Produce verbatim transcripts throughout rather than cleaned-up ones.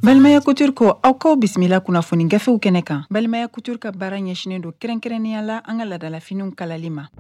Balimaya Couture ko aw k'aw bisimila kunnafoni gafew kɛnɛ kan. Balimaya Couture ka baara ɲɛsinnen don kɛrɛnkɛrɛnnenya la an ka laadalafiniw kalali ma.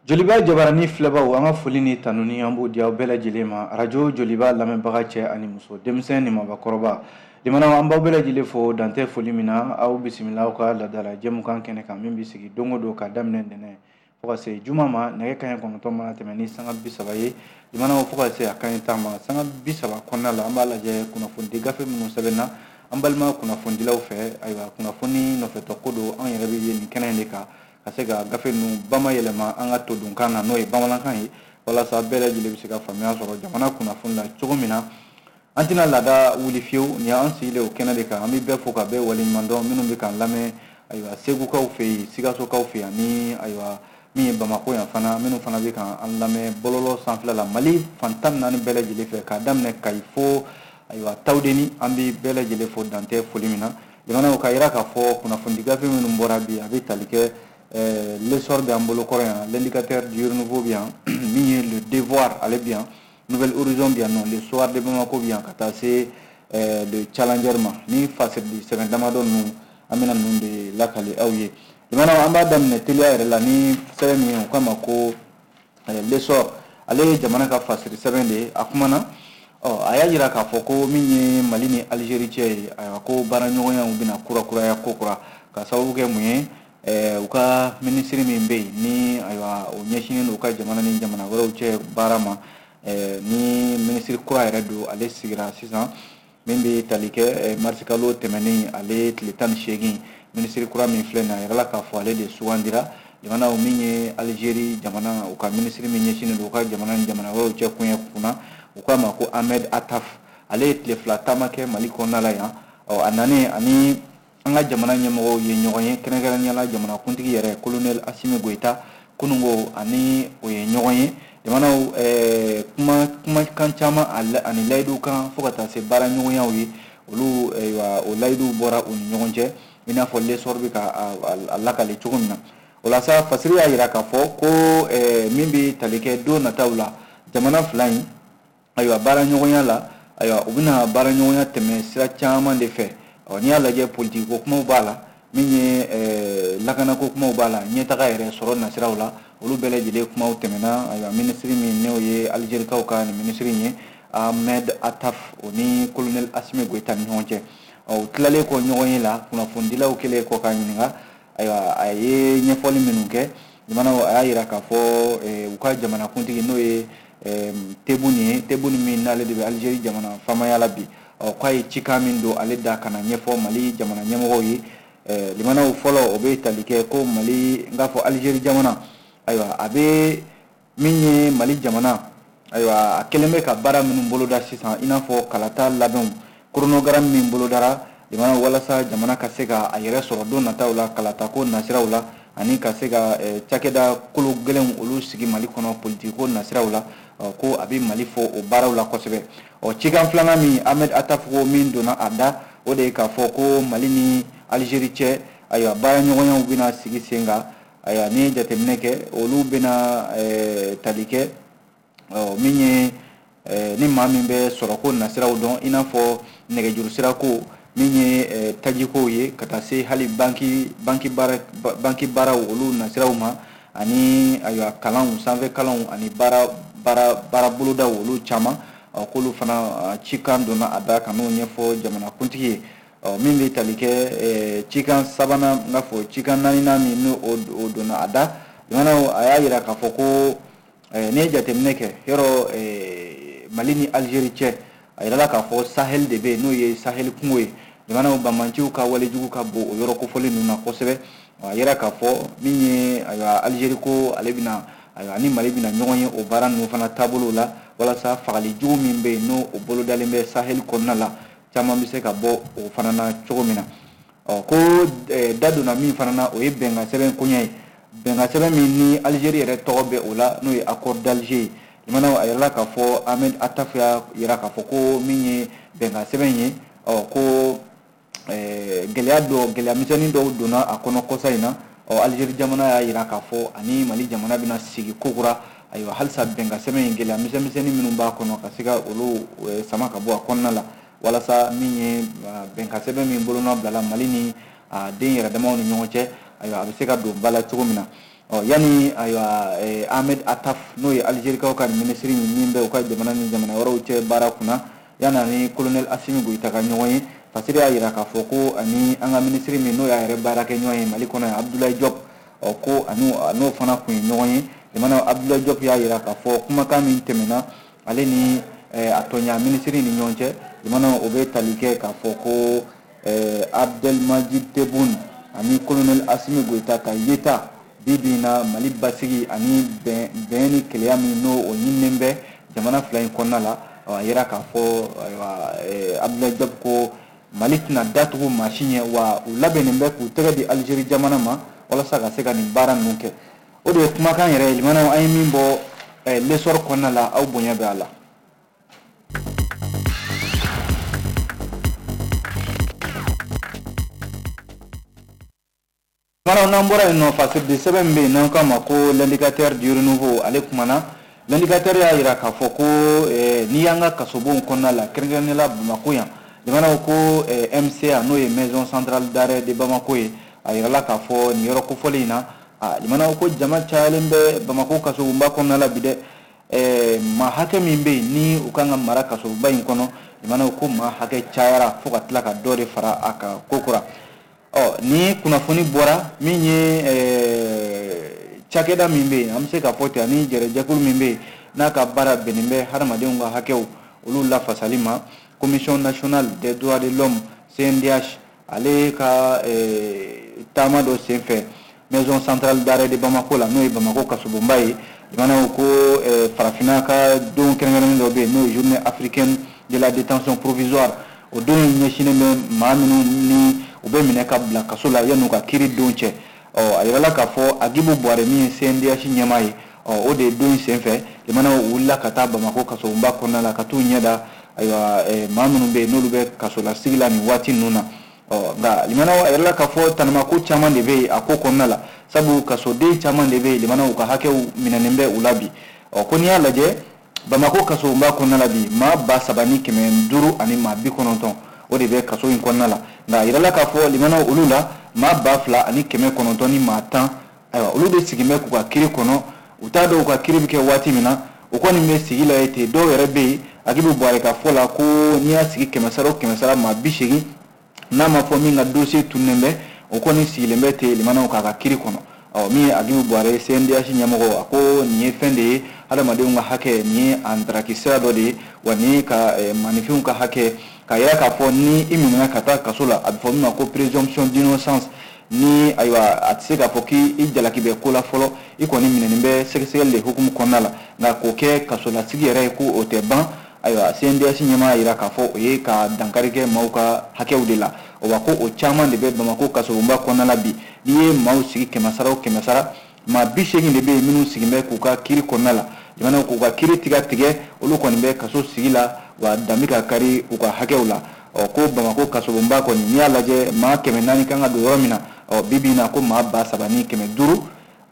Joliba jabarani filɛbaw, an ka foli ni tanuni an b'o di aw bɛɛ lajɛlen ma. Arajo Joliba lamɛnbaga cɛ ani muso, denmisɛn ni mabakɔrɔba, limanaw, an b'aw bɛɛ lajɛlen fo dantɛ foli min na. Aw bisimila aw ka laadala jɛmukan kɛnɛ kan min bɛ sigi don o don ka daminɛ ntɛnɛn fo ka se juma ma, nɛgɛ kanɲɛ kɔnɔntɔn mana tɛmɛ ni sanga bi saba ye, limanaw, fo ka se a kanɲɛ tan ma. Sanga bi saba kɔnɔna la, an b'a lajɛ kunnafonidi gafe minnu sɛbɛnna an balima kunnafonidilaw fɛ. Ayiwa, kunnafoni nɔfɛtɔ ko don, an yɛrɛ bɛ ye nin kɛnɛ in de kan ka se ka gafe ninnu bamayɛlɛma an ka todunkan na, n'o ye bamanankan ye, walasa bɛɛ lajɛlen bɛ se ka faamuya sɔrɔ jamana kunnafoni la cogo min na. An tɛna laada wuli fiyewu, nin y'an sigilen o kɛnɛ de kan. An bɛ bɛɛ fo ka bɛɛ waleɲuman dɔn minnu bɛ k'an lamɛn, ayiwa, Segukaw fɛ yen, Sikasokaw fɛ yen, ani ayiwa min ye Bamakɔ yan fana, minnu fana bɛ k'an lamɛn bɔlɔlɔ sanfɛla la Mali fan tan ni naani bɛɛ lajɛlen fɛ, k'a daminɛ Kayi fo ayiwa Tawudeni. An bɛ bɛɛ lajɛlen fo dantɛ foli min na. Jamanaw ka yira k'a fɔ kunnafoni gafe minnu bɔra bi, a bɛ tali kɛ L'Essor bɛ an bolo kɔrɔ yan, L'Indicateur du Renouveau bɛ yan, min ye Le Devoir ale bɛ yan, Nouvel Horizon bɛ yan nɔ, Le Soir de Bamako bɛ yan, ka taa se Le Challenger ma. Ni fasirili sɛbɛn damadɔ ninnu, an bɛna ninnu de lakali aw ye. Jamana, an b'a daminɛ teliya yɛrɛ la ni sɛbɛn min ye, o kama ko L'Essor, ale ye jamana ka fasiri sɛbɛn de ye. A kumana, ɔ a y'a jira k'a fɔ ko min ye Mali ni Algérie cɛ ye, ayiwa, ko baaraɲɔgɔnyaw bɛna kurakuraya kokura, ka sababu kɛ mun ye? U ka minisiri min bɛ yen ni ayiwa o ɲɛsinnen don u ka jamana ni jamana wɛrɛw cɛ baara ma, ni minisiri kura yɛrɛ don, ale sigira sisan, min bɛ tali kɛ marisikalo tɛmɛnen ale tile tan ni seegin. Minisiri kura min filɛ nin ye, a yirala k'a fɔ ale de sugandira. Jamanaw min ye Algérie jamana, u ka minisiri min ɲɛsinnen don u ka jamana ni jamana wɛrɛw cɛ koɲɛ kunna, u k'a ma ko Ahmed Attaf, ale ye tile fila taama kɛ Mali kɔnɔna la yan. Ɔ a nanen ani an ka jamana ɲɛmɔgɔw ye ɲɔgɔn ye, kɛrɛnkɛrɛnnenya la jamanakuntigi yɛrɛ colonel Assimi Goïta, kununko ani o ye ɲɔgɔn ye. Jamanaw, kuma kumakan caman ani layidu kan fo ka taa se baara ɲɔgɔnyaw ye, olu ayiwa o layiduw bɔra u ni ɲɔgɔn cɛ, i n'a fɔ L'Essor bɛ ka a lakale cogo min na. O la sa, fasiri y'a jira k'a fɔ ko min bɛ tali kɛ don nataw la, jamana fila in ayiwa baara ɲɔgɔnya la, ayiwa u bɛna baara ɲɔgɔnya tɛmɛ sira caman de fɛ. Ɔ n'i y'a lajɛ, politiki ko kumaw b'a la, min ye lakanako kumaw b'a la, ɲɛtaga yɛrɛ sɔrɔ nasiraw la, olu bɛɛ lajɛlen kumaw tɛmɛna. Ayiwa, minisiri min n'o ye Algérikaw ka nin minisiri in ye, Ahmed Attaf, o ni colonel Assimi Goïta ni ɲɔgɔn cɛ. Ɔ u tilalen kɔ ɲɔgɔn ye la, kunnafonidilaw kɛlen kɔ k'a ɲininka, ayiwa a ye ɲɛfɔli minnu kɛ jamanaw, a y'a jira k'a fɔ u ka jamanakuntigi n'o ye Tebboune ye, Tebboune min n'ale de bɛ Algérie jamana faamaya la bi, ɔ k'a ye cikan min don ale da ka na ɲɛfɔ Mali jamana ɲɛmɔgɔw ye. Limanaw, fɔlɔ o bɛ tali kɛ ko Mali, n k'a fɔ Algérie jamana, ayiwa a bɛ min ye Mali jamana, ayiwa a kɛlen bɛ ka baara minnu boloda sisan, i n'a fɔ kalata labɛnw, chronogramme min bolodara jamana walasa jamana ka se ka a yɛrɛ sɔrɔ don nataw la kalatako nasiraw la, ani ka se ka cakɛda kolo gɛlɛnw olu sigi Mali kɔnɔ politiko nasiraw la, ko a bɛ Mali fɔ o baaraw la kosɛbɛ. Ɔ cikan filanan min Ahmed Attaf ko min donna a da, o de ye k'a fɔ ko Mali ni Algérie cɛ, ayiwa baara ɲɔgɔnyaw bɛna sigi sen kan. Ayiwa, n'i ye jateminɛ kɛ, olu bɛna tali kɛ min ye ni maa min bɛ sɔrɔko nasiraw dɔn, i n'a fɔ nɛgɛjuru sirako, min ye tajikow ye, ka taa se hali banki banki baara banki baaraw olu nasiraw ma, ani ayiwa kalanw, sanfɛ kalanw, ani baara baara baara bolodaw olu caman, k'olu fana cikan donna a da ka n'o ɲɛfɔ jamanakuntigi ye. Ɔ min bɛ tali kɛ cikan sabanan, n k'a fɔ cikan naaninan min n'o o donna a da, jamanaw, a y'a jira k'a fɔ ko n'i ye jateminɛ kɛ yɔrɔ Mali ni Algérie cɛ, a yirala k'a fɔ Sahel de bɛ yen, n'o ye Sahel kungo ye. Jamanaw, banbaanciw ka walejugu ka bon o yɔrɔ kofɔlen ninnu na kosɛbɛ. A yira k'a fɔ min ye ayiwa Algérie ko ale bɛna, ayiwa ni Mali bɛna ɲɔgɔn ye o baara ninnu fana taabolo la, walasa fagali jugu min bɛ yen n'o o bolodalen bɛ Sahel kɔnɔna la, caman bɛ se ka bɔ o fana na cogo min na. Ɔ ko da donna min fana na, o ye bɛnkan sɛbɛn koɲɛ ye, bɛnkan sɛbɛn min ni Algérie yɛrɛ tɔgɔ bɛ o la, n'o ye accord d'Alger ye. Jamanaw, a yirala k'a fɔ Ahmed Attaf y'a yira k'a fɔ ko min ye bɛnkan sɛbɛn ye, ɔ ko gɛlɛya dɔ, gɛlɛya misɛnnin dɔw donna a kɔnɔ kɔsa in na. Ɔ Algérie jamana y'a jira k'a fɔ ani Mali jamana bɛna sigi kokura, ayiwa halisa bɛnkan sɛbɛn in gɛlɛya misɛnmisɛnnin minnu b'a kɔnɔ ka se ka olu sama ka bɔ a kɔnɔna la, walasa min ye bɛnkan sɛbɛn min bolonɔ bilala Mali ni a den yɛrɛ damaw ni ɲɔgɔn cɛ, ayiwa a bɛ se ka don ba la cogo min na. Ɔ yanni ayiwa Ahmed Attaf n'o ye Algérikaw ka minisiri min bɛ u ka jamana ni jamana wɛrɛw cɛ baara kunna, yanni ani colonel Assimi Goïta ka ɲɔgɔn ye, Fasiri y'a jira k'a fɔ ko ani an ka minisiri min n'o y'a yɛrɛ baarakɛ ɲɔgɔn ye Mali kɔnɔ yan, Abdoulaye Diop, ɔ ko ani n'o fana kun ye ɲɔgɔn ye. Limanaw Abdoulaye Diop y'a jira k'a fɔ kumakan min tɛmɛna ale ni a tɔɲa minisiri ni ɲɔgɔn cɛ, limanaw o bɛ tali kɛ k'a fɔ ko Abdelmadjid Tebboune ani colonel Assimi Goïta ka yeta bi bi in na Mali basigi ani bɛn bɛn ni keleya min n'o o ɲininen bɛ jamana fila in kɔnɔna la. A yira k'a fɔ ayiwa Abdoulaye Diop ko Mali tɛna datugu maa si ɲɛ, wa u labɛnnen bɛ k'u tɛgɛ di Algérie jamana ma walasa ka se ka nin baara ninnu kɛ. O de ye kumakan yɛrɛ ye limanaw an ye min bɔ l'essor kɔnɔna la, aw bonya bɛ a la. Limanaw n'an bɔra yen nɔ, Fasiri sɛbɛn min bɛ yen n'an k'a ma ko l'indicateur du renouveau, ale kumana. L'indicateur y'a jira k'a fɔ ko n'i y'an ka kasobonw kɔnɔna la, kɛrɛnkɛrɛnnenya la Bamakɔ yan, limanaw ko M C A n'o ye maison centrale d'arrêt de Bamako ye, a yirala k'a fɔ nin yɔrɔ kofɔlen in na, limanaw ko jama cayalen bɛ Bamako kasobonba kɔnɔna la bi dɛ. Maa hakɛ min bɛ yen ni u kan ka mara kasobonba in kɔnɔ, limanaw ko maa hakɛ cayara fo ka tila ka dɔ de fara a kan kokura. Ɔ ni kunnafoni bɔra min ye cakɛda min bɛ yen, an bɛ se k'a fɔ ten, ani jɛrɛjɛkulu min bɛ yen n'a ka baara bɛnnen bɛ hadamadenw ka hakɛw olu lafasali ma, Commission nationale des droits de l'homme C N D H, ale ka taama dɔ senfɛ maison centrale d'arrêt de Bamako la, n'o ye Bamako kasobonba ye. Limanaw ko farafinna ka don kɛrɛnkɛrɛnnen dɔ bɛ yen n'o ye journée africaine de la détention provisoire. O don in ɲɛsinnen bɛ maa minnu ni u bɛ minɛ ka bila kaso la yan'u ka kiiri don cɛ. Ɔ a yirala k'a fɔ Agibu Buware min ye C N D H ɲɛmaa ye, ɔ o de ye don in senfɛ limanaw wulila ka taa Bamako kasobonba kɔnɔna la ka t'u ɲɛda ayiwa maa minnu bɛ yen n'olu bɛ kasolasigi la nin waati ninnu na. Ɔ nka limanaw a yirala k'a fɔ tanamako caman de bɛ yen a ko kɔnɔna la, sabu kasoden caman de bɛ yen limanaw ka hakɛw minɛnen bɛ u la bi. Ɔ ko n'i y'a lajɛ Bamako kasobonba kɔnɔna la bi, maa ba saba ni kɛmɛ duuru ani maa bi kɔnɔntɔn o de bɛ kaso in kɔnɔna la. Nka a yirala k'a fɔ limanaw olu la maa ba fila ani kɛmɛ kɔnɔntɔn ni maa tan, ayiwa olu de sigilen bɛ k'u ka kiiri kɔnɔ. U t'a dɔn u ka kiiri bɛ kɛ waati min na, o kɔni bɛ sigi la yen ten. Dɔw yɛrɛ bɛ yen, Agibu Buware ka fɔ la ko n'i y'a sigi kɛmɛ sara o kɛmɛ sara maa bi seegin, n'a ma fɔ min ka dossier tununnen bɛ, o kɔni sigilen bɛ ten limanaw k'a ka kiiri kɔnɔ. Ɔ min ye Agibu Buware C N D H ɲɛmɔgɔ, a ko nin ye fɛn de ye hadamadenw ka hakɛ, nin ye a ntaraki sira dɔ de ye, wa nin ye ka maninfinw ka hakɛ, k'a yira k'a fɔ ni i minɛna ka taa kaso la, a bɛ fɔ min ma ko présomption d'innocence, ni ayiwa a tɛ se k'a fɔ k'i jalaki bɛ ko la fɔlɔ, i kɔni minɛnen bɛ sɛgɛsɛgɛli de hukumu kɔnɔna la, nka k'o kɛ kasolasigi yɛrɛ ye ko o tɛ ban. Ayiwa C N D H ɲɛmaa yira k'a fɔ o ye ka dankari kɛ maaw ka hakɛw de la, wa ko o caman de bɛ Bamako kasobonba kɔnɔna la bi. N'i ye maaw sigi kɛmɛ sara o kɛmɛ sara, maa bi seegin de bɛ yen minnu sigilen bɛ k'u ka kiiri kɔnɔna la, jamanaw k'u ka kiiri tigɛ tigɛ, olu kɔni bɛ kaso sigi la, wa danbe ka kari u ka hakɛw la. Ɔ ko Bamako kasobonba kɔni n'i y'a lajɛ maa kɛmɛ naani kan ka don yɔrɔ min na, ɔ bi bi in na ko maa ba saba ni kɛmɛ duuru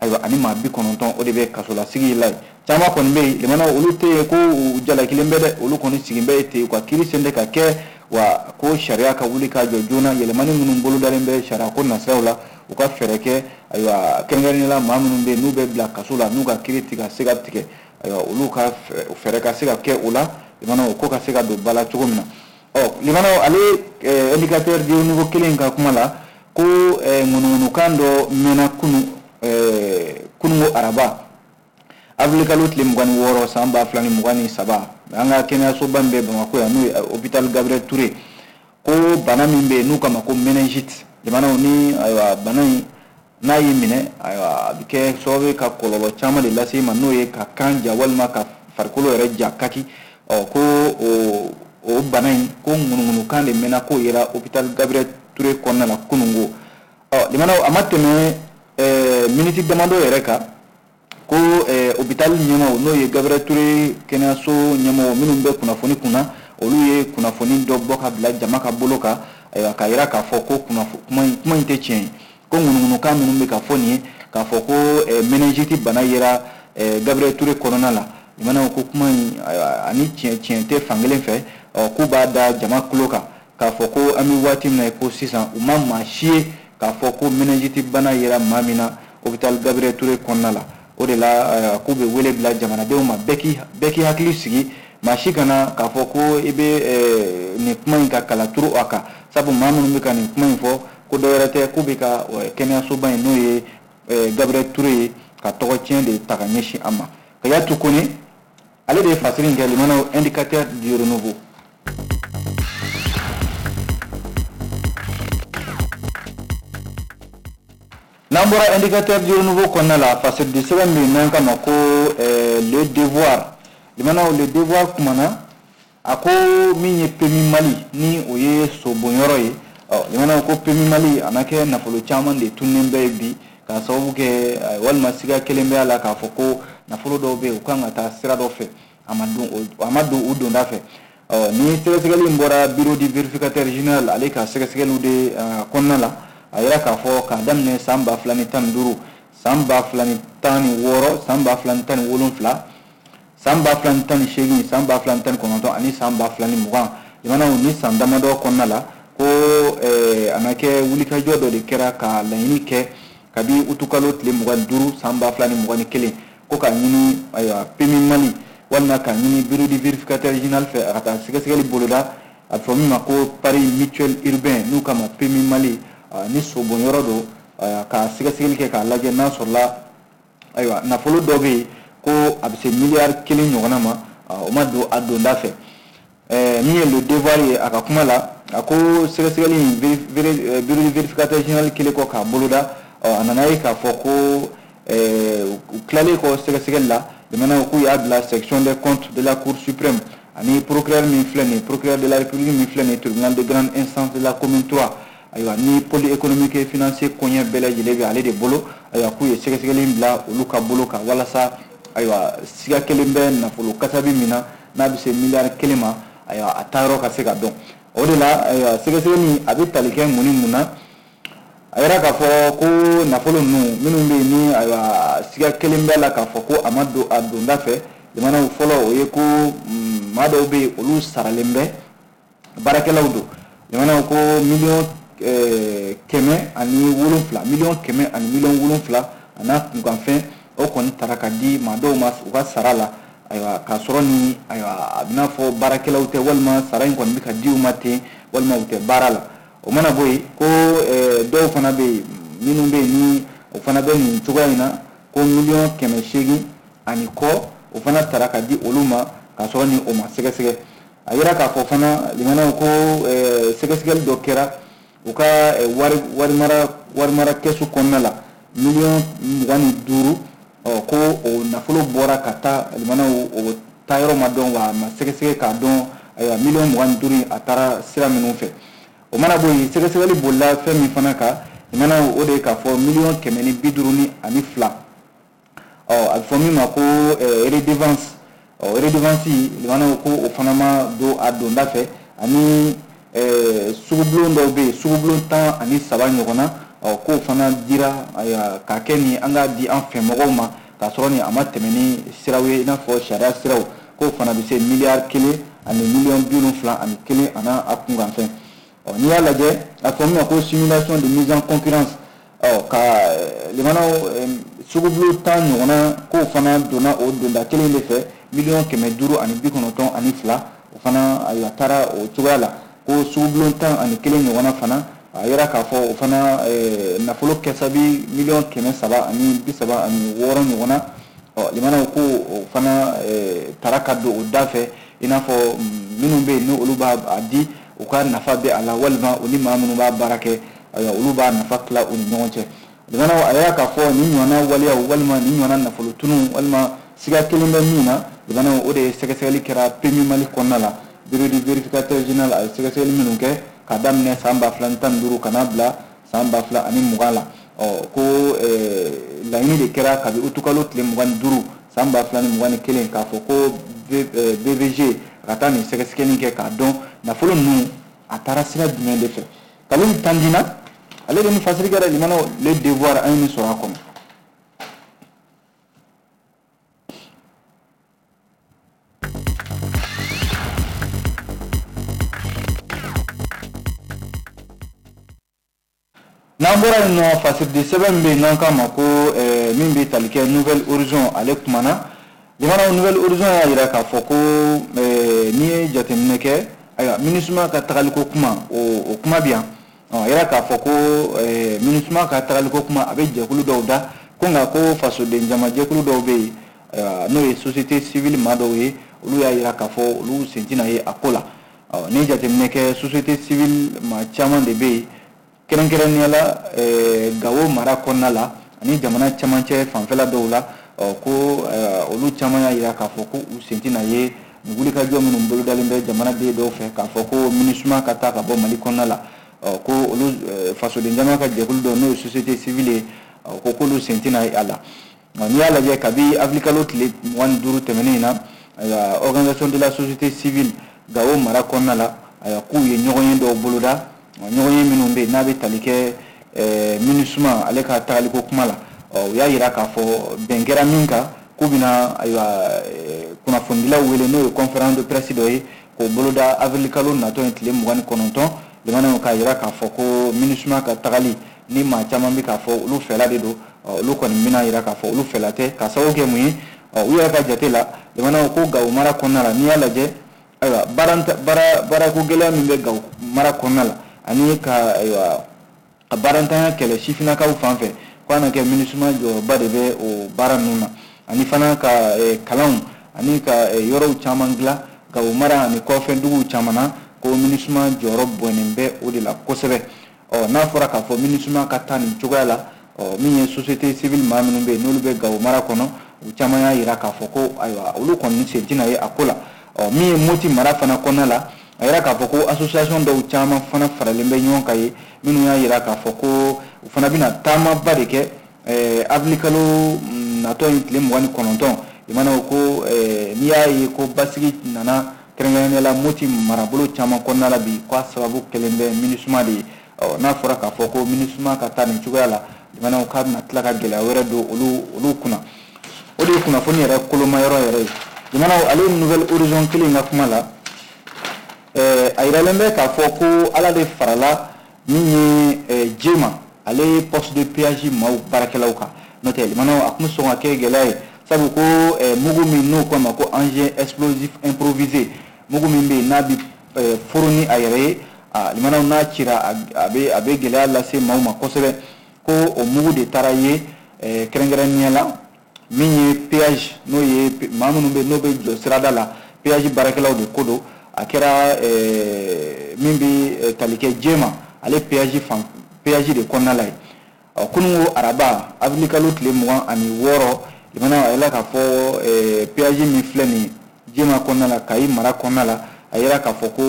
ayiwa ani maa bi kɔnɔntɔn o de bɛ kasolasigi la yen. Caman kɔni bɛ yen limanaw olu tɛ yen ko u jalakilen bɛ dɛ, olu kɔni sigilen bɛ ten u ka kiiri sen tɛ ka kɛ, wa ko sariya ka wuli ka jɔ joona, yɛlɛmani minnu bolodalen bɛ sariya ko nasiraw la, u ka fɛɛrɛ kɛ ayiwa kɛrɛnkɛrɛnnenya la maa minnu bɛ yen n'u bɛ bila kaso la n'u ka kiiri tɛ ka se ka tigɛ, ayiwa olu ka fɛɛrɛ ka se ka kɛ o la, limanaw ko ka se ka don ba la cogo min na. Ɔ limanaw ale indicateur du renouveau kelen ka kuma la ko ŋunuŋunukan dɔ mɛnna kunu kununko araba avril kalo tile mugan ni wɔɔrɔ san ba fila ni mugan ni saba, an ka kɛnɛyasoba min bɛ Bamakɔ yan n'o ye hôpital Gabriel Touré, ko bana min bɛ yen n'u k'a ma ko méningite, limanaw ni ayiwa bana in n'a y'i minɛ, ayiwa a bɛ kɛ sababu ye ka kɔlɔlɔ caman de lase i ma, n'o ye ka kan ja walima ka farikolo yɛrɛ ja kaki. Ɔ ko o o bana in ko ŋunuŋunukan de mɛnna k'o yera hôpital Gabriel Touré kɔnɔna la kununko. Ɔ limanaw a ma tɛmɛ miniti damadɔ yɛrɛ kan ko hôpital ɲɛmaaw n'o ye Gabriel Touré kɛnɛyaso ɲɛmɔgɔ minnu bɛ kunnafoni kunna, olu ye kunnafoni dɔ bɔ ka bila jama ka bolo kan, ayiwa k'a yira k'a fɔ ko kunnafoni kuma in kuma in tɛ tiɲɛ ye. Ko ŋunuŋunukan minnu bɛ ka fɔ nin ye k'a fɔ ko méningite bana yera Gabriel Touré kɔnɔna la, limanaw, ko kuma in ani tiɲɛ tiɲɛ tɛ fankelen fɛ. Ɔ k'u b'a da jama tulo kan k'a fɔ ko an bɛ waati min na ko sisan, u ma maa si ye k'a fɔ ko méningite bana yera maa min na hôpital Gabriel Touré kɔnɔna la. O de la, k'u bɛ wele bila jamanadenw ma, bɛɛ k'i bɛɛ k'i hakili sigi, maa si kana k'a fɔ ko i bɛ nin kuma in ka kala turu a kan, sabu maa minnu bɛ ka nin kuma in fɔ, ko dɔ wɛrɛ tɛ, k'u bɛ ka kɛnɛyasoba in, n'o ye Gabriel Touré ye, ka tɔgɔ tiɲɛ de ta ka ɲɛsin a ma. Kayatu Kone, ale de ye fasiri in kɛ, limanaw, Indicateur du Renouveau. N'an bɔra Indicateur du Renouveau kɔnɔna la, fasiridi sɛbɛn bɛ yen n'an k'a ma ko Le Devoir. Limanaw, Le Devoir kumana, a ko min ye PMU Mali, ni o ye sobonyɔrɔ ye. Ɔ limanaw, ko PMU Mali a na kɛ nafolo caman de tunnen bɛ bi k'a sababu kɛ, walima siga kelen bɛ a la k'a fɔ ko nafolo dɔw bɛ yen, u kan ka taa sira dɔ fɛ, a ma don a ma don u donda fɛ. Ɔ ni sɛgɛsɛgɛli in bɔra bureau du vérificateur général, ale ka sɛgɛsɛgɛliw de kɔnɔna la, a yira k'a fɔ k'a daminɛ san ba fila ni tan ni duuru, san ba fila ni tan ni wɔɔrɔ, san ba fila ni tan ni wolonfila, san ba fila ni tan ni seegin, san ba fila ni tan ni kɔnɔntɔn ani san ba fila ni mugan, limanaw, ni san damadɔ kɔnɔna la, ko a na kɛ wulikajɔ dɔ de kɛra ka laɲini kɛ kabi utukalo tile mugan ni duuru san ba fila ni mugan ni kelen, ko k'a ɲini, ayiwa, PMU Mali walima k'a ɲini bureau du vérificateur général fɛ, a ka taa sɛgɛsɛgɛli boloda, a bɛ fɔ min ma ko Pari Mutuel Urbain, n'u k'a ma PMU Mali, ni sobonyɔrɔ don, ka sɛgɛsɛgɛli kɛ k'a lajɛ n'a sɔrɔla, ayiwa, nafolo dɔ bɛ yen ko a bɛ se miliyari kelen ɲɔgɔnna ma, o ma don a donda fɛ. Min ye Le Devoir ye, a ka kuma la, a ko sɛgɛsɛgɛli in, bureau du vérificateur général kɛlen kɔ k'a boloda, a nana ye k'a fɔ ko u tilalen kɔ sɛgɛsɛgɛli la, limanaw, k'u y'a bila section des comptes de la Cour suprême ani procureur min filɛ nin ye, procureur de la République min filɛ nin ye, tribunal de grande instance de la commune trois, ayiwa, ni pôle économique et financier koɲɛ bɛɛ lajɛlen bɛ ale de bolo. Ayiwa, k'u ye sɛgɛsɛgɛli in bila olu ka bolo kan walasa, ayiwa, siga kelen bɛ nafolo kasabi min na, n'a bɛ se miliyari kelen ma, ayiwa, a taayɔrɔ ka se ka dɔn. O de la, ayiwa, sɛgɛsɛgɛli a bɛ tali kɛ mun ni mun na? A yira k'a fɔ ko nafolo ninnu minnu bɛ yen, ni, ayiwa, siga kelen bɛ la k'a fɔ ko a ma don a donda fɛ, jamanaw, fɔlɔ, o ye ko maa dɔw bɛ yen, olu saralen bɛ, baarakɛlaw don. Jamanaw, ko miliyɔn kɛmɛ ani wolonfila, miliyɔn kɛmɛ ani miliyɔn wolonfila a n'a kunkanfɛn, o kɔni taara ka di maa dɔw ma u ka sara la, ayiwa, k'a sɔrɔ ni, ayiwa, a bɛna fɔ baarakɛlaw tɛ, walima sara in kɔni bɛ ka di u ma ten, walima u tɛ baara la. O mana bɔ yen, ko dɔw fana bɛ yen minnu bɛ yen, ni o fana bɛ nin cogoya in na, ko miliyɔn kɛmɛ seegin ani kɔ, o fana taara ka di olu ma k'a sɔrɔ ni o ma sɛgɛsɛgɛ. A yira k'a fɔ fana, limanaw, ko sɛgɛsɛgɛli dɔ kɛra u ka wari wari mara wari mara kɛsu kɔnɔna la, miliyɔn mugan ni duuru, ɔ ko o nafolo bɔra ka taa, limanaw, o taayɔrɔ ma dɔn, wa a ma sɛgɛsɛgɛ k'a dɔn, ayiwa, miliyɔn mugan ni duuru in, a taara sira minnu fɛ. O mana bɔ yen, sɛgɛsɛgɛli bolila fɛn min fana kan, limanaw, o de ye k'a fɔ miliyɔn kɛmɛ ni bi duuru ni ani fila, ɔ a bɛ fɔ min ma ko redevance. Ɔ redevance, limanaw, ko o fana ma don a donda fɛ, ani sugubulon dɔw bɛ yen, sugubulon tan ani saba ɲɔgɔn na, ɔ k'o fana dira, ayiwa, k'a kɛ ni an k'a di an fɛ mɔgɔw ma k'a sɔrɔ ni a ma tɛmɛ ni siraw ye, i n'a fɔ sariya siraw, k'o fana bɛ se miliyari kelen ani miliyɔn bi wolonfila ani kelen a n'a a kunkanfɛn. Ɔ n'i y'a lajɛ, a fɔ min ma ko simulation de mise en concurrence, ɔ ka limanaw, sugubulon tan ɲɔgɔnna, k'o fana donna o donda kelen de fɛ, miliyɔn kɛmɛ duuru ani bi kɔnɔntɔn ani fila, o fana, ayiwa, taara o cogoya la. Ko sugubulon tan ani kelen ɲɔgɔnna fana, a yira k'a fɔ o fana nafolo kɛsabi miliyɔn kɛmɛ saba ani bi saba ani wɔɔrɔ ɲɔgɔnna. Ɔ limanaw, ko o fana taara ka don o da fɛ, i n'a fɔ minnu bɛ yen, ni olu b'a di, u ka nafa bɛ a la, walima u ni maa minnu b'a baara kɛ, ayiwa, olu b'a nafa tila u ni ɲɔgɔn cɛ. Limanaw, a yira k'a fɔ nin ɲɔgɔnna waleyaw, walima nin ɲɔgɔnna nafolo tunu, walima siga kelen bɛ min na, limanaw, o de ye sɛgɛsɛgɛli kɛra PMU Mali kɔnɔna la. Bureau du vérificateur général a ye sɛgɛsɛgɛli minnu kɛ k'a daminɛ san ba fila ni tan ni duuru ka n'a bila san ba fila ani mugan la, ɔ ko laɲini de kɛra kabi utukalo tile mugan ni duuru san ba fila ni mugan ni kelen k'a fɔ ko B V G ka taa nin sɛgɛsɛgɛli kɛ k'a dɔn nafolo ninnu a taara sira jumɛn de fɛ. Kalilu Tandina, Ale de ni fasiri kɛra limanaw Le Devoir an ye nin sɔrɔ a kɔnɔ. N'an bɔra yen nɔ, fasiridi sɛbɛn min bɛ yen n'an k'a ma ko min bɛ tali kɛ Nouvel Horizon, ale kumana. Limanaw Nouvel Horizon y'a jira k'a fɔ ko n'i ye jateminɛ kɛ, ayiwa MINUSMA ka tagaliko kuma o o kuma bɛ yan. A yira k'a fɔ ko MINUSMA ka tagaliko kuma a bɛ jɛkulu dɔw da ko, nka ko fasoden jamajɛkulu dɔw bɛ yen, n'o ye société civile maa dɔw ye, olu y'a jira k'a fɔ olu sen tɛna ye a ko la. N'i ye jateminɛ kɛ, société civile maa caman de bɛ yen, kɛrɛnkɛrɛnnenya la Gawo mara kɔnɔna la ani jamana camancɛ fanfɛla dɔw la, ko olu caman y'a jira k'a fɔ ko u sen tɛna ye nin wulikajɔ minnu bolodalen bɛ jamanaden dɔw fɛ k'a fɔ ko MINUSMA ka taa ka bɔ Mali kɔnɔna la. Ko olu fasoden jama ka jɛkulu dɔw, n'o ye société civile ye, ko k'olu sen tɛna ye a la. N'i y'a lajɛ, kabi avril kalo tile mugan ni duuru tɛmɛnen in na, organisation de la société civile Gawo mara kɔnɔna la, k'u ye ɲɔgɔn ye dɔw boloda, ɲɔgɔn ye minnu bɛ yen n'a bɛ tali kɛ MINUSMA ale ka tagaliko kuma la. U y'a jira k'a fɔ bɛn kɛra min kan, k'u bɛna ayiwa kunnafonidilaw wele, n'o ye conférence de presse dɔ ye, k'o boloda avril kalo natɔ in tile mugan ni kɔnɔntɔn. Limanaw k'a jira k'a fɔ ko MINUSMA ka tagali ni maa caman bɛ k'a fɔ olu fɛla de don, olu kɔni bɛna jira k'a fɔ olu fɛla tɛ, ka sababu kɛ mun ye u yɛrɛ ka jate la. Limanaw ko Gawo mara kɔnɔna la, n'i y'a lajɛ, ayiwa baara baara baarako gɛlɛya min bɛ Gawo mara kɔnɔna la ani ka ayiwa a baarantanya kɛlɛ sifinnakaw fan fɛ, ko a na kɛ MINUSMA jɔyɔrɔba de bɛ o baara ninnu na, ani fana ka kalanw ani ka yɔrɔw caman dilan Gawo mara ani kɔfɛ duguw caman na, ko MINUSMA jɔyɔrɔ bɔnnen bɛ o de la kosɛbɛ. Ɔ n'a fɔra k'a fɔ MINUSMA ka taa nin cogoya la, ɔ min ye société civile maa minnu bɛ yen n'olu bɛ Gawo mara kɔnɔ, u caman y'a jira k'a fɔ ko ayiwa olu kɔni sen tɛna ye a ko la. Ɔ min ye Moti mara fana kɔnɔna la, a yira k'a fɔ ko association dɔw caman fana faralen bɛ ɲɔgɔn kan ye, minnu y'a jira k'a fɔ ko u fana bɛna taamaba de kɛ avril kalo natɔ in tile mugan ni kɔnɔntɔn. Limanaw ko n'i y'a ye ko basigi nana kɛrɛnkɛrɛnnenya la Moti marabolo caman kɔnɔna la bi, k'a sababu kɛlen bɛ MINUSMA de ye. Ɔ n'a fɔra k'a fɔ ko MINUSMA ka taa nin cogoya la, limanaw k'a bɛna tila ka gɛlɛya wɛrɛ don olu olu kunna. O de ye kunnafoni yɛrɛ kolomayɔrɔ yɛrɛ ye. Limanaw ale Nouvel Horizon kelen in ka kuma la, a yiralen bɛ k'a fɔ ko Ala de farala min ye Jema ale poste de péage maaw baarakɛlaw kan, n'o tɛ limanaw a tun bɛ sɔn ka kɛ gɛlɛya ye, sabu ko mugu min n'o ko a ma ko engin explosif improvisé, mugu min bɛ yen n'a bɛ foro ni a yɛrɛ ye, limanaw n'a cira a bɛ a bɛ gɛlɛya lase maaw ma kosɛbɛ. Ko o mugu de taara ye kɛrɛnkɛrɛnnenya la min ye péage, n'o ye maa minnu bɛ yen n'o bɛ jɔ sirada la, péage baarakɛlaw de ko don. A kɛra min bɛ tali kɛ Jema ale péage fan péage de kɔnɔna la ye. Ɔ kununko araba avril kalo tile mugan ani wɔɔrɔ, limanaw a yira k'a fɔ péage min filɛ nin ye Jema kɔnɔna la, Kayi mara kɔnɔna la, a yira k'a fɔ ko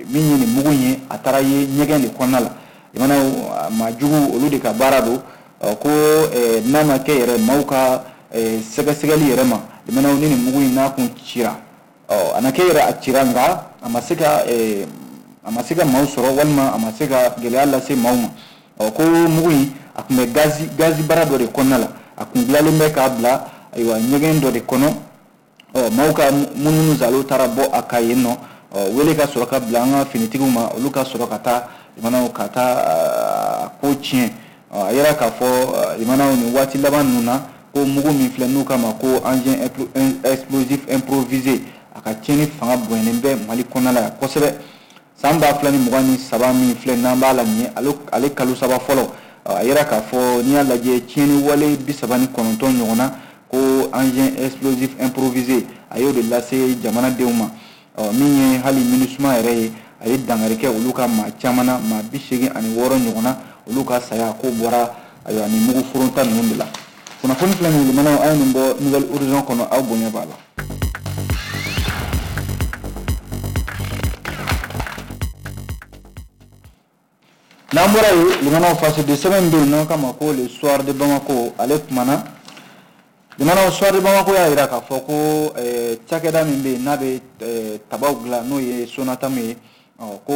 min ye nin mugu in ye, a taara ye ɲɛgɛn de kɔnɔna la. Limanaw maa jugu olu de ka baara don, ko n'a ma kɛ yɛrɛ maaw ka sɛgɛsɛgɛli yɛrɛ ma, limanaw ni nin mugu in n'a kun cira, ɔ a na kɛ yɛrɛ a cira, nka a ma se ka a ma se ka maaw sɔrɔ walima a ma se ka gɛlɛya lase maaw ma. Ɔ ko mugu in a tun bɛ gazi gazi bara dɔ de kɔnɔna la, a kun dilanlen bɛ k'a bila ayiwa ɲɛgɛn dɔ de kɔnɔ. Ɔ maaw ka munumunu zalo taara bɔ a kan yen nɔ, ɔ wele ka sɔrɔ ka bila an ka finitigiw ma, olu ka sɔrɔ ka taa limanaw ka taa a ko tiɲɛ. A yira k'a fɔ limanaw nin waati laban ninnu na, ko mugu min filɛ n'u k'a ma ko engin explosif improvisé, a ka tiɲɛni fanga bonyalen bɛ Mali kɔnɔna la yan kosɛbɛ. San ba fila ni mugan ni saba min filɛ n'an b'a la nin ye, ale ale kalo saba fɔlɔ, a yira k'a fɔ n'i y'a lajɛ tiɲɛni wale bi saba ni kɔnɔntɔn ɲɔgɔn na, ko engin explosif improvisé a y'o de lase jamanadenw ma. Ɔ min ye hali MINUSMA yɛrɛ ye, a ye dankari kɛ olu ka maa caman na, maa bi seegin ani wɔɔrɔ ɲɔgɔn na, olu ka saya ko bɔra ayiwa nin mugu foronta ninnu de la. Kunnafoni filɛ nin ye limanaw, an ye nin bɔ Nouvel Horizon kɔnɔ, aw bonya b'a la. N'an bɔra yen, limanaw fasoden sɛbɛn bɛ yen n'an k'a ma ko Le Soir de Bamako, ale kumana. Limanaw Soir de Bamako y'a jira k'a fɔ ko cakɛda min bɛ yen n'a bɛ tabaw dilan, n'o ye Sonatam ye, ɔ ko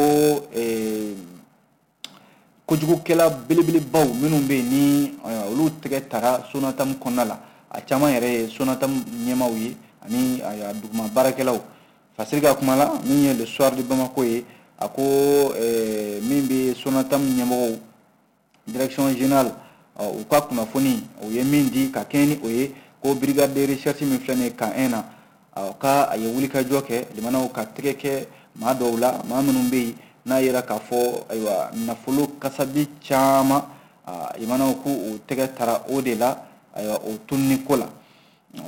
Kojugukɛla belebelebaw minnu bɛ yen ni olu tɛgɛ tara Sonatam kɔnɔna la, a caman yɛrɛ ye Sonatam ɲɛmaaw ye ani duguma baarakɛlaw. Fasiri ka kuma la, min ye Le Soir de Bamako ye, a ko min bɛ Sonatam ɲɛmɔgɔw direction générale u ka kunnafoni u ye min di ka kɛɲɛ ni o ye, ko brigade de recherche min filɛ nin ye camp un na, ka a ye wulikajɔ kɛ limanaw ka tɛgɛ kɛ maa dɔw la, maa minnu bɛ yen n'a yera k'a fɔ ayiwa nafolo kasabi caman limanaw k'u o tɛgɛ tara o de la, ayiwa o tununi ko la.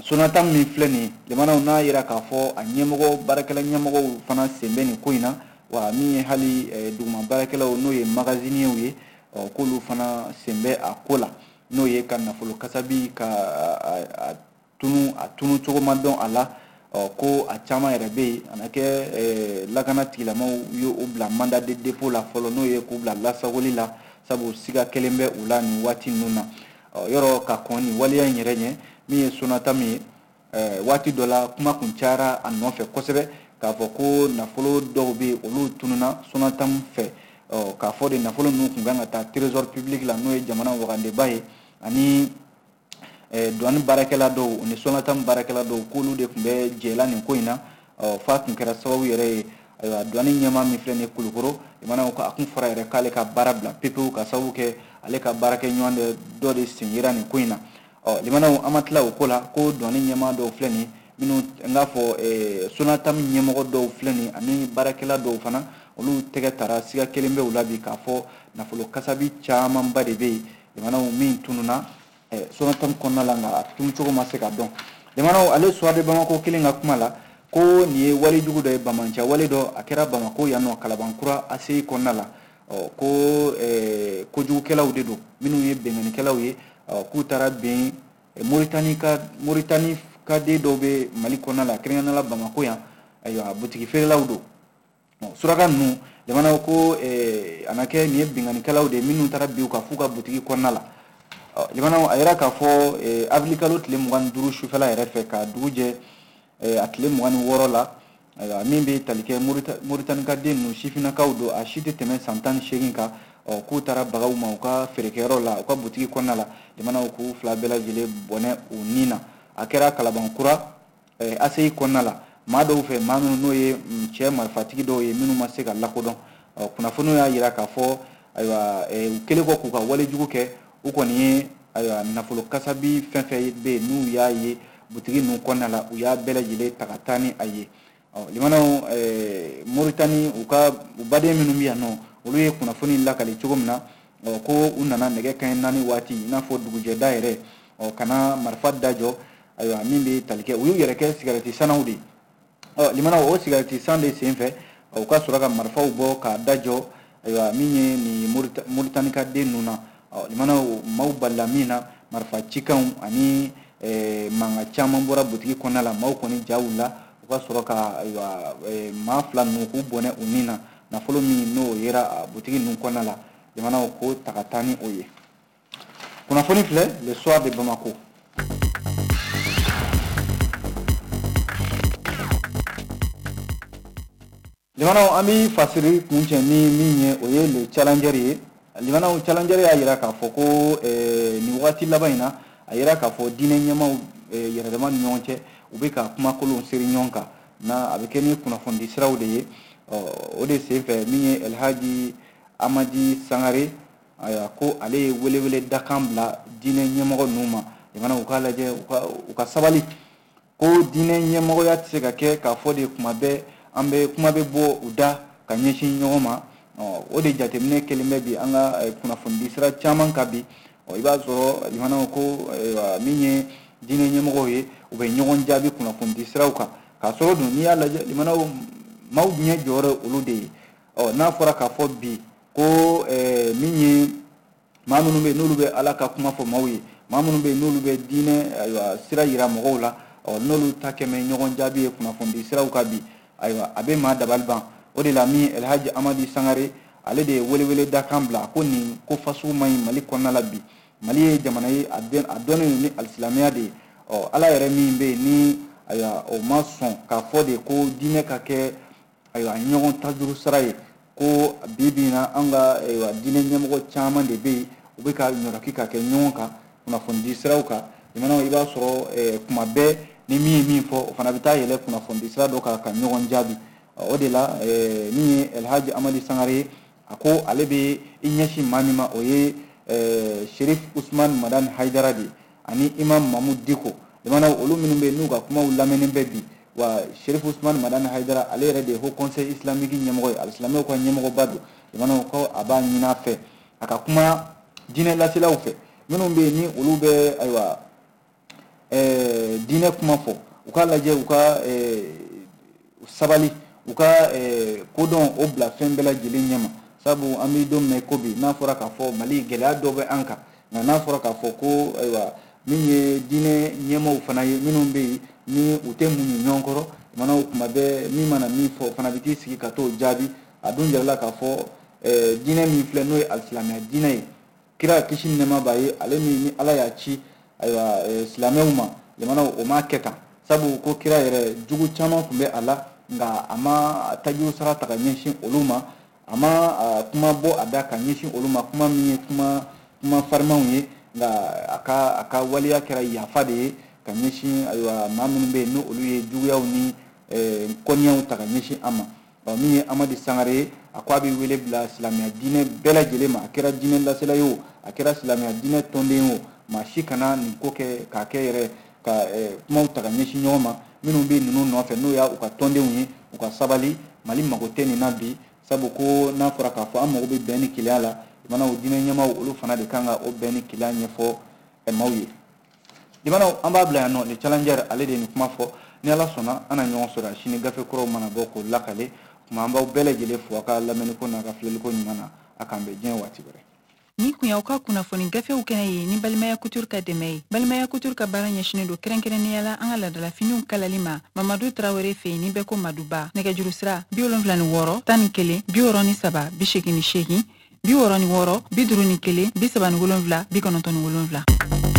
Sonatam min filɛ nin ye, limanaw n'a yera k'a fɔ a ɲɛmɔgɔ baarakɛla ɲɛmɔgɔw fana sen bɛ nin ko in na, wa min ye hali duguma baarakɛlaw n'o ye magasiniers ye, k'olu fana sen bɛ a ko la, n'o ye ka nafolo kasabi ka a tunu a tunu cogo ma dɔn a la. Ko a caman yɛrɛ bɛ yen a na kɛ lakana tigilamaw ye o bila mandat de dépôt la fɔlɔ, n'o ye k'u bila lasagoli la, sabu siga kelen bɛ u la nin waati ninnu na. Yɔrɔ ka kɔn nin waleya in yɛrɛ ɲɛ, min ye Sonatam ye, waati dɔ la kuma kun cayara a nɔfɛ kosɛbɛ k'a fɔ ko nafolo dɔw bɛ yen olu tununa Sonatam fɛ, k'a fɔ de nafolo ninnu kun kan ka taa trésor public la, n'o ye jamana wagandeba ye, ani douane baarakɛla dɔw ni Sonatam baarakɛla dɔw k'olu de tun bɛ jɛla nin ko in na. F'a tun kɛra sababu yɛrɛ ye, ayiwa douane ɲɛmaa min filɛ nin ye Kulukoro, limanaw ko a kun fɔra yɛrɛ k'ale ka baara bila pepewu ka sababu kɛ ale ka baarakɛɲɔgɔn de dɔ de sen yera nin ko in na. Ɔ limanaw an ma tila o ko la, ko douane ɲɛmaa dɔw filɛ nin minnu n k'a fɔ Sonatam ɲɛmɔgɔ dɔw filɛ nin ani baarakɛla dɔw fana, olu tɛgɛ tara siga kelen bɛ u la bi k'a fɔ nafolo kasabi camanba de bɛ yen limanaw min tununa Sonatam kɔnɔna la, nka a tunu cogo ma se ka dɔn. Limanaw ale Soir de Bamako kelen ka kuma la, ko nin ye walejugu dɔ ye, bamancɛ wale dɔ a kɛra Bamako yan nɔ Kalabankura A C I kɔnɔna la, ko kojugukɛlaw de don minnu ye bɛnkannikɛlaw ye, k'u taara ben Moritani ka Moritani ka den dɔw bɛ Mali kɔnɔna la, kɛrɛnkɛrɛnnenya la Bamako yan, ayiwa butigi feerelaw don. Suraka ninnu limanaw ko a na kɛ nin ye bɛnkannikɛlaw de ye minnu taara bin u kan f'u ka butigi kɔnɔna la. Limanaw a yira k'a fɔ avril kalo tile mugan ni duuru sufɛla yɛrɛ fɛ ka dugu jɛ a tile mugan ni wɔɔrɔ la, ayiwa min bɛ tali kɛ Moritani ka den ninnu sifinnakaw don, a si tɛ tɛmɛ san tan ni seegin kan, k'u taara bagaw ma u ka feerekɛyɔrɔ la, u ka butigi kɔnɔna la, limanaw k'u fila bɛɛ lajɛlen bɔnɛ u ni na. A kɛra Kalabankura A C I kɔnɔna la, maa dɔw fɛ, maa minnu n'o ye cɛ marifatigi dɔw ye minnu ma se ka lakodɔn. Kunnafoniw y'a yira k'a fɔ ayiwa u kɛlen kɔ k'u ka walejugu kɛ, u kɔni ye ayiwa nafolo kasabi fɛn fɛn bɛ yen n'u y'a ye butigi ninnu kɔnɔna la, u y'a bɛɛ lajɛlen ta ka taa ni a ye. Limanaw Moritani u ka u baden minnu bɛ yan nɔ, olu ye kunnafoni lakali cogo min na, ko u nana nɛgɛ kanɲɛ naani waati, i n'a fɔ dugujɛda yɛrɛ, ka na marifa dajɔ, ayiwa min bɛ tali kɛ u y'u yɛrɛ kɛ sigarɛti sannaw de ye. Limanaw o sigarɛti san de sen fɛ, u ka sɔrɔ ka marifaw bɔ k'a dajɔ, ayiwa min ye nin Moritani ka den ninnu na. Limanaw maaw balila min na, marifa cikanw ani mankan caman bɔra butigi kɔnɔna la, maaw kɔni ja wulila, u ka sɔrɔ ka ayiwa maa fila ninnu k'u bɔnɛ u ni na, nafolo min n'o yera butigi ninnu kɔnɔna la, limanaw k'o ta ka taa ni o ye. Kunnafoni filɛ Le Soir de Bamako. Limanaw an bɛ fasiri kuncɛ ni min ye, o ye Le Challenger ye. Limanaw Challenger y'a yira k'a fɔ ko nin waati laban in na, a yira k'a fɔ diinɛ ɲɛmaaw yɛrɛdama ni ɲɔgɔn cɛ, u bɛ ka kumakolonw seri ɲɔgɔn kan, na a bɛ kɛ ni kunnafonidi siraw de ye. O de senfɛ min ye Elhaji Amadi Sangare, ayiwa ko ale ye welewele dakan bila diinɛ ɲɛmɔgɔ ninnu ma, limanaw u k'a lajɛ u ka sabali, ko diinɛ ɲɛmɔgɔya tɛ se ka kɛ k'a fɔ de kuma bɛɛ an bɛ kuma bɛ bɔ u da ka ɲɛsin ɲɔgɔn ma. O de jateminɛ kɛlen bɛ bi an ka kunnafonidi sira caman kan bi. I b'a sɔrɔ limanaw ko min ye diinɛ ɲɛmɔgɔw ye, u bɛ ɲɔgɔn jaabi kunnafonidi siraw kan, k'a sɔrɔ dun n'i y'a lajɛ limanaw maaw ɲɛ jɔyɔrɔ olu de ye. Ɔ n'a fɔra k'a fɔ bi ko min ye maa minnu bɛ yen n'olu bɛ Ala ka kuma fɔ maaw ye, maa minnu bɛ yen n'olu bɛ diinɛ ayiwa sira yira mɔgɔw la, ɔ n'olu ta kɛmɛ ɲɔgɔn jaabi ye kunnafonidi siraw kan bi, ayiwa a bɛ maa dabali ban. O de la min Elhaji Amadi Sangare ale de ye welewele dakan bila ko nin ko fasugu man ɲi Mali kɔnɔna la bi. Mali ye jamana ye a dɔnnen ni alisilamɛya de ye. Ɔ Ala yɛrɛ min bɛ yen ni ayiwa o ma sɔn k'a fɔ de ko diinɛ ka kɛ ayiwa ɲɔgɔn tajuru sara ye, Ko bi bi in na an ka diinɛ ɲɛmɔgɔ caman de bɛ yen, u bɛ ka ɲɔrɔki ka kɛ ɲɔgɔn kan kunnafonidi siraw kan. Limanaw, i b'a sɔrɔ kuma bɛɛ ni min ye min fɔ, o fana bɛ taa yɛlɛ kunnafonidi sira dɔ kan ka ɲɔgɔn jaabi. O de la, min ye Elhaji Amadi Sangare ye, a ko ale bɛ i ɲɛsin maa min ma, o ye Sherif Usman Madani Hayidara de ye ani Imam Mahmoud Dicko. Limanaw, olu minnu bɛ yen n'u ka kumaw lamɛnnen bɛ bi, wa Sherif Usman Madani Hayidara, ale yɛrɛ de ye Haut Conseil islamique ɲɛmɔgɔ ye, alisilamɛw ka ɲɛmɔgɔba don. Limanaw, ko a b'a ɲini a fɛ a ka kuma diinɛ laselaw fɛ minnu bɛ yen ni olu bɛ ayiwa diinɛ kuma fɔ, u k'a lajɛ u ka sabali, u ka kodɔn o bila fɛn bɛɛ lajɛlen ɲɛma. Sabu an bɛ don min ko bi, n'a fɔra k'a fɔ Mali gɛlɛya dɔ bɛ an kan, nka n'a fɔra k'a fɔ ko ayiwa min ye diinɛ ɲɛmaaw fana ye minnu bɛ yen ni u tɛ muɲu ɲɔgɔn kɔrɔ, limanaw, kuma bɛɛ min mana min fɔ o fana bɛ t'i sigi ka t'o jaabi. A dun jirala k'a fɔ diinɛ min filɛ n'o ye alisilamɛya diinɛ ye, kira kisi ni nɛɛma b'a ye, ale min ni Ala y'a ci ayiwa silamɛw ma, limanaw, o m'a kɛ tan. Sabu ko kira yɛrɛ jugu caman tun bɛ a la, nka a ma tajuru sara ta ka ɲɛsin olu ma, a ma kuma bɔ a da ka ɲɛsin olu ma, kuma min ye kuma kuma farimanw ye, nka a ka a ka waleya kɛra yafa de ye ka ɲɛsin ayiwa maa minnu bɛ yen ni olu ye juguyaw ni kɔniyaw ta ka ɲɛsin an ma. Min ye Amadi Sangare ye, a ko a bɛ wele bila silamɛya diinɛ bɛɛ lajɛlen ma, a kɛra diinɛ lasela ye o, a kɛra silamɛya diinɛ tɔnden ye o, maa si kana nin ko kɛ k'a kɛ yɛrɛ ka kumaw ta ka ɲɛsin ɲɔgɔn ma. Minnu bɛ ninnu nɔfɛ n'o y'a u ka tɔndenw ye, u ka sabali, Mali mago tɛ nin na bi. Sabu ko n'a fɔra k'a fɔ an mago bɛ bɛn ni kelenya la, limanaw, diinɛ ɲɛmaaw olu fana de kan ka o bɛn ni kelenya ɲɛfɔ maaw ye. Limanaw, an b'a bila yan nɔ. Le Challenger, ale de ye nin kuma fɔ. Ni Ala sɔnna, an na ɲɔgɔn sɔrɔ sini gafe kuraw mana bɔ k'o lakale. Tuma an b'aw bɛɛ lajɛlen fo a ka lamɛnniko n'a ka filɛliko ɲuman na. A k'an bɛn diɲɛ waati wɛrɛ. Ni kun y'aw ka kunnafoni gafew kɛnɛ ye ni Balimaya Couture ka dɛmɛ ye. Balimaya Couture ka baara ɲɛsinnen don kɛrɛnkɛrɛnnenya la an ka laadalafiniw kalali ma Mamadu Tarawele fɛ yen ni bɛɛ ko Maduba. Nɛgɛjuru sira bi wolonfila ni wɔɔrɔ tan ni kelen bi wɔɔrɔ ni saba bi seegin ni seegin bi wɔɔrɔ ni wɔɔrɔ bi duuru ni kelen bi saba ni wolonfila bi kɔnɔntɔn ni wolonfila.